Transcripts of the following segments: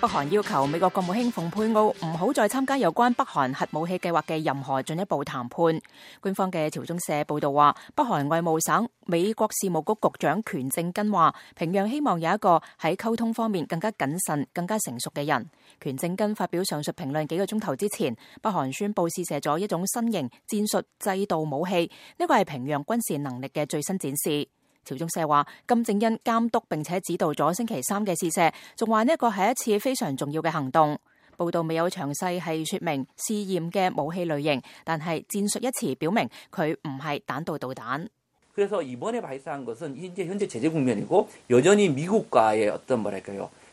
北韓要求美國國務卿蓬佩奧唔好再參加有關北韓核武器計劃嘅任何進一步談判。官方嘅朝中社報道話，北韓外務省美國事務局局長權正根話，平壤希望有一個喺溝通方面更加謹慎、更加成熟嘅人。權正根發表上述評論幾個鐘頭之前，北韓宣布試射咗一種新型戰術制導武器，呢個係平壤軍事能力嘅最新展示。朝中社話，金正恩監督並且指導咗星期三嘅試射，仲話呢一個係一次非常重要嘅行動。報道未有詳細係說明試驗嘅武器類型，但係戰術一詞表明佢唔係彈道導彈。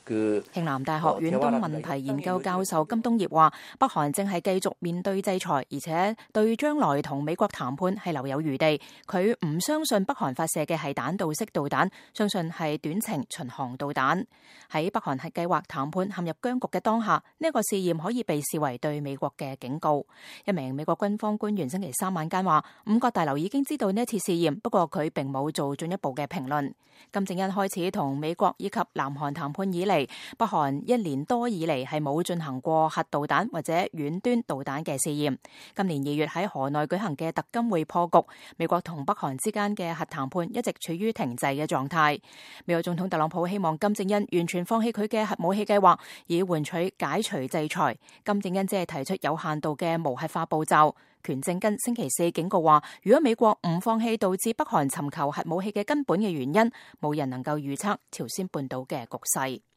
慶南大學遠東問題研究教授金東業話，北韓正係繼續面對制裁，而且對將來同美國談判係留有餘地。佢唔相信北韓發射嘅係彈道式導彈，相信係短程巡航導彈。喺北韓核計劃談判陷入僵局嘅當下，呢一個試驗可以被視為對美國嘅警告。一名美國軍方官員星期三晚間話，五角大樓已經知道呢一次試驗，不過佢並冇做進一步嘅評論。金正恩開始同美國以及南韓談判以嚟，北韓一年多以嚟係冇進行過核導彈或者遠端導彈嘅試驗。今年2月喺河內舉行嘅特金會破局，美國同北韓之間嘅核談判一直處於停滯嘅狀態。美國總統特朗普希望金正恩完全放棄佢嘅核武器計劃，以換取解除制裁。金正恩只係提出有限度嘅無核化步驟。權正根星期四警告話，如果美國唔放棄導致北韓尋求核武器嘅根本嘅原因，冇人能夠預測朝鮮半島嘅局勢。